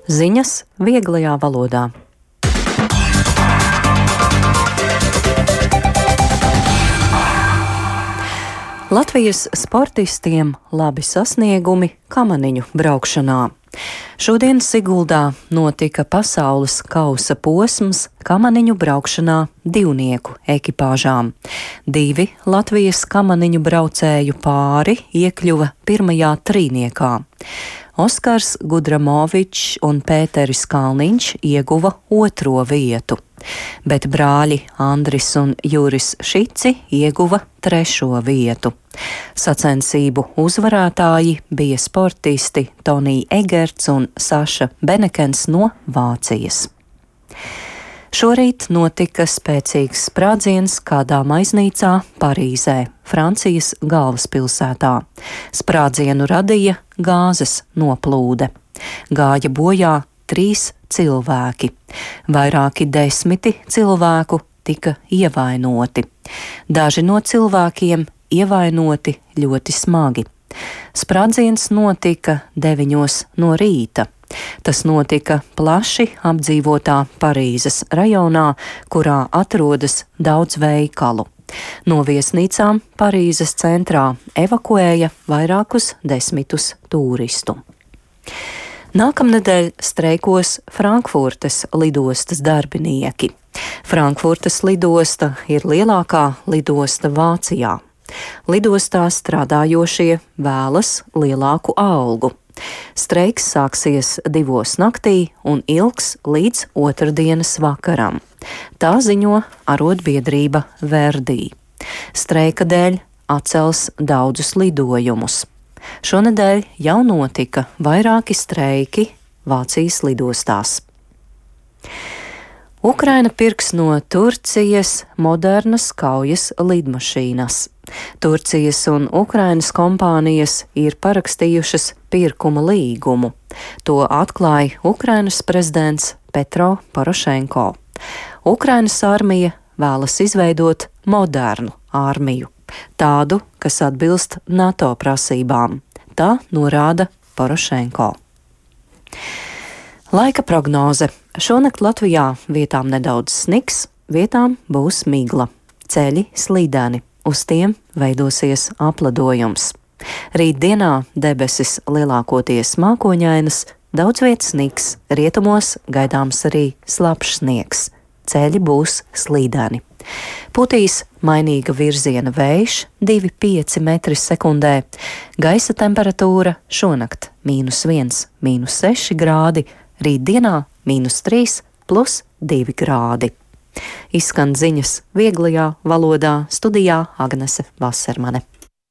Ziņas vieglajā valodā. Latvijas sportistiem labi sasniegumi kamaniņu braukšanā. Šodien Siguldā notika pasaules kausa posms kamaniņu braukšanā divnieku ekipāžām. 2 Latvijas kamaniņu braucēju pāri iekļuva pirmajā trīniekā. Oskars Gudramovičs un Pēteris Kalniņš ieguva 2. vietu, bet brāļi Andris un Juris Šici ieguva 3. vietu. Sacensību uzvarētāji bija sportisti Tonija Egerts un Saša Benekens no Vācijas. Šorīt notika spēcīgs sprādziens kādā maiznīcā Parīzē, Francijas galvaspilsētā. Sprādzienu radīja gāzes noplūde. Gāja bojā 3 cilvēki. Vairāki 10 cilvēku tika ievainoti. Daži no cilvēkiem ievainoti ļoti smagi. Sprādziens notika 9 no rīta. Tas notika plaši apdzīvotā Parīzes rajonā, kurā atrodas daudz veikalu. No viesnīcām Parīzes centrā evakuēja vairākus 10 turistu. Nākamnedēļ streikos Frankfurtes lidostas darbinieki. Frankfurtes lidosta ir lielākā lidosta Vācijā. Lidostā strādājošie vēlas lielāku algu. Streiks sāksies 2 naktī un ilgs līdz otrdienas vakaram. Tā ziņo arotbiedrība Verdi. Streika dēļ atcels daudzus lidojumus. Šonedēļ jau notika vairāki streiki Vācijas lidostās. Ukraina pirks no Turcijas modernas kaujas lidmašīnas. Turcijas un Ukrainas kompānijas ir parakstījušas pirkuma līgumu. To atklāja Ukrainas prezidents Petro Porošenko. Ukrainas armija vēlas izveidot modernu armiju, tādu, kas atbilst NATO prasībām. Tā norāda Porošenko. Laika prognoze. Šonakt Latvijā vietām nedaudz sniks, vietām būs migla. Ceļi slīdeni, uz tiem veidosies apledojums. Rītdienā debesis lielākoties mākoņainas, daudz vietas sniks, rietumos gaidāms arī slapjš sniegs. Ceļi būs slīdeni. Putīs mainīga virziena vējš 2,5 m/sekundē. Gaisa temperatūra šonakt -1, -6 grādi, rītdienā -3 + 2 grādi. Izskan ziņas vieglajā valodā, studijā Agnese Vasermane.